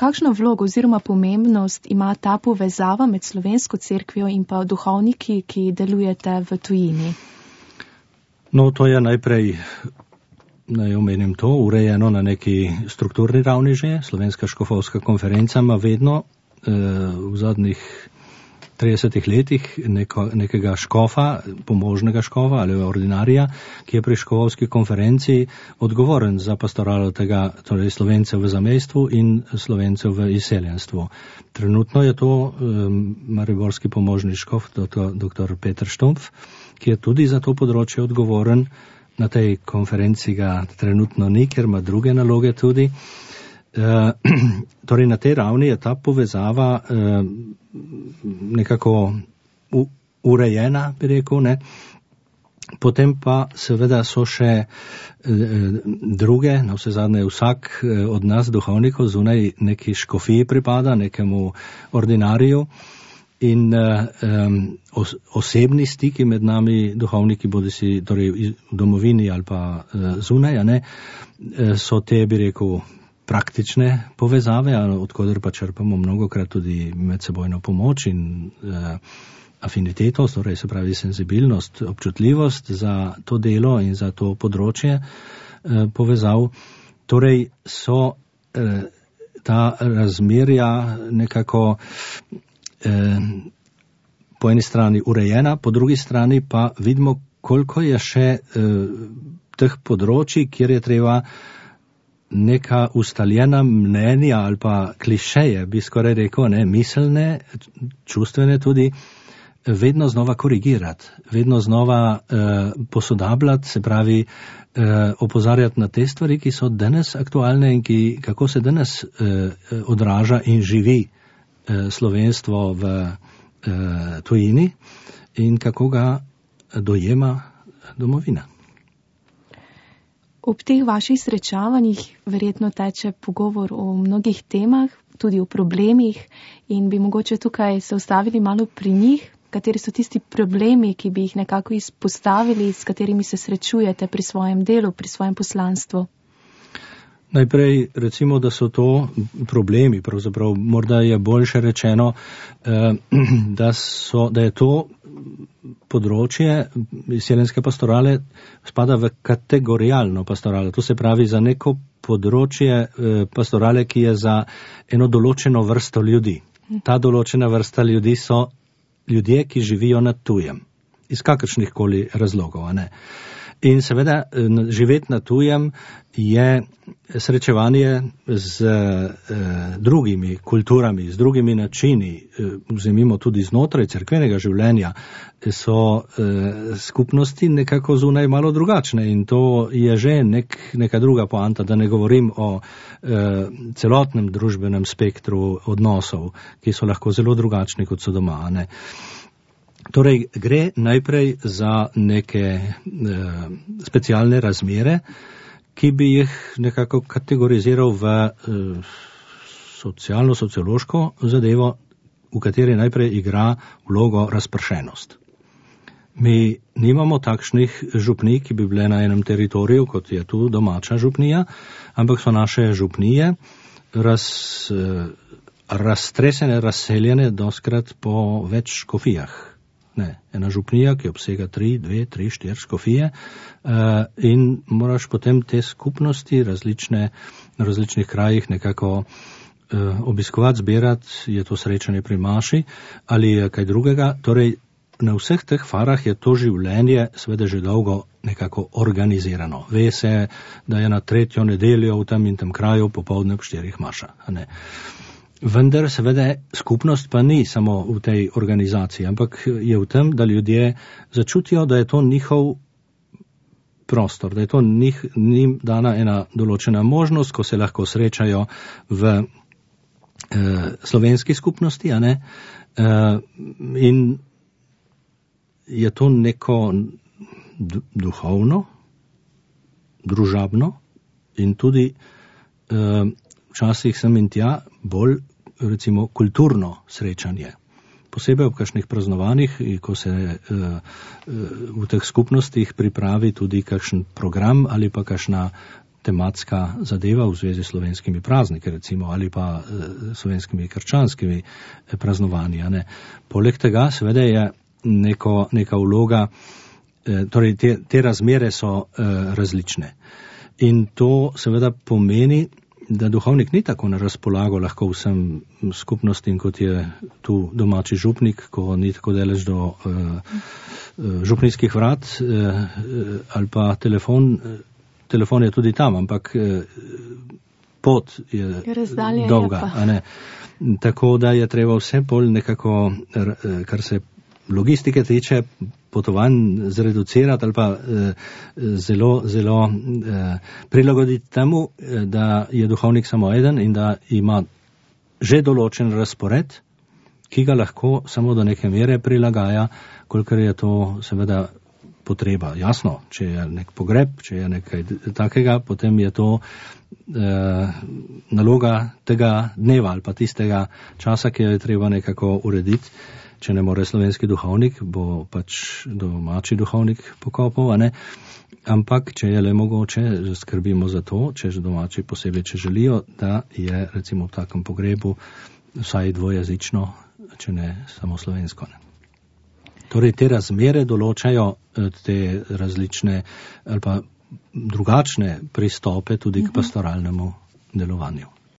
kakšno vlogo oziroma pomembnost ima ta povezava med slovensko cerkvijo in pa duhovniki, ki delujete v tujini? No, to je najprej, naj omenim to, urejeno na neki strukturni ravni že. Slovenska škofovska konferenca ima vedno v zadnjih 30 letih nekega škofa, pomožnega škofa ali ordinarija, ki je pri škofovski konferenci odgovoren za pastoralo tega, torej Slovencev v zamejstvu in Slovencev v izseljenstvu. Trenutno je to mariborski pomožni škof, dr. Peter Štumpf, ki je tudi za to področje odgovoren. Na tej konferenci ga trenutno ni, ker ima druge naloge tudi. Torej na tej ravni je ta povezava nekako urejena, bi rekel, ne. Potem pa seveda so še druge, na vse zadnje vsak od nas duhovnikov zunaj neki škofiji pripada, nekemu ordinariju in osebni stiki med nami duhovniki, bodisi torej v domovini ali pa zunaj, a ne, so te, bi rekel, praktične povezave, odkoder pa črpamo mnogokrat tudi medsebojno pomoč in afiniteto, torej se pravi senzibilnost, občutljivost za to delo in za to področje povezav. Torej so ta razmerja nekako po eni strani urejena, po drugi strani pa vidimo, koliko je še teh področji, kjer je treba neka ustaljena mnenja ali pa klišeje, bi skoraj rekel, ne, miselne, čustvene tudi, vedno znova korigirati, vedno znova posodabljati, se pravi opozarjati na te stvari, ki so danes aktualne in kako se danes odraža in živi slovenstvo v tujini in kako ga dojema domovina. Ob teh vaših srečavanjih verjetno teče pogovor o mnogih temah, tudi o problemih in bi mogoče tukaj se ustavili malo pri njih, kateri so tisti problemi, ki bi jih nekako izpostavili, s katerimi se srečujete pri svojem delu, pri svojem poslanstvu. Najprej recimo, da so to problemi, pravzaprav morda je boljše rečeno, da je to področje izseljenske pastorale spada v kategorijalno pastoralo. To se pravi za neko področje pastorale, ki je za eno določeno vrsto ljudi. Ta določena vrsta ljudi so ljudje, ki živijo na tujem. Iz kakršnih koli razlogov, a ne. In seveda živeti na tujem je srečevanje z drugimi kulturami, z drugimi načini, vzemimo tudi znotraj cerkvenega življenja, so skupnosti nekako zunaj malo drugačne in to je že neka druga poanta, da ne govorim o celotnem družbenem spektru odnosov, ki so lahko zelo drugačni, kot so doma, ne. Torej, gre najprej za neke specialne razmere, ki bi jih nekako kategoriziral v socialno-sociološko zadevo, v kateri najprej igra vlogo razpršenost. Mi nimamo takšnih župnij, ki bi bile na enem teritoriju, kot je tu domača župnija, ampak so naše župnije raztresene, razseljene doskrat po več škofijah. Ne, ena župnija, ki obsega 3, 2, 3, 4 škofije in moraš potem te skupnosti na različnih krajih nekako obiskovati, zbirati, je to srečanje pri maši ali je kaj drugega. Torej, na vseh teh farah je to življenje seveda že dolgo nekako organizirano. Ve se, da je na 3. nedeljo v tem in tem kraju popoldne ob 4 maša, a ne. Vendar seveda skupnost pa ni samo v tej organizaciji, ampak je v tem, da ljudje začutijo, da je to njihov prostor, da je to njim dana ena določena možnost, ko se lahko srečajo v slovenski skupnosti, a ne, in je to neko duhovno, družabno in tudi včasih sem in tja bolj recimo kulturno srečanje. Posebej ob kakšnih praznovanjih, ko se v teh skupnostih pripravi tudi kakšen program ali pa kakšna tematska zadeva v zvezi s slovenskimi prazniki, recimo, ali pa slovenskimi krščanskimi praznovanji. Ne. Poleg tega seveda je neka vloga, torej te razmere so različne. In to seveda pomeni, da duhovnik ni tako na razpolago lahko vsem skupnostim, kot je tu domači župnik, ko ni tako daleč do župnijskih vrat, ali pa telefon je tudi tam, ampak pot je dolga. A ne? Tako da je treba vse bolj nekako, kar se logistike tiče, potovanj zreducirati ali pa zelo prilagoditi temu, da je duhovnik samo eden in da ima že določen razpored, ki ga lahko samo do neke mere prilagaja, kolikor je to seveda potreba. Jasno, če je nek pogreb, če je nekaj takega, potem je to naloga tega dneva ali pa tistega časa, ki je treba nekako urediti. Če ne more slovenski duhovnik, bo pač domači duhovnik pokopal, a ne? Ampak, če je le mogoče, skrbimo za to, če že domači posebej, če želijo, da je recimo v takem pogrebu vsaj dvojezično, če ne samo slovensko. Ne? Torej, te razmere določajo te različne ali pa drugačne pristope tudi k pastoralnemu delovanju.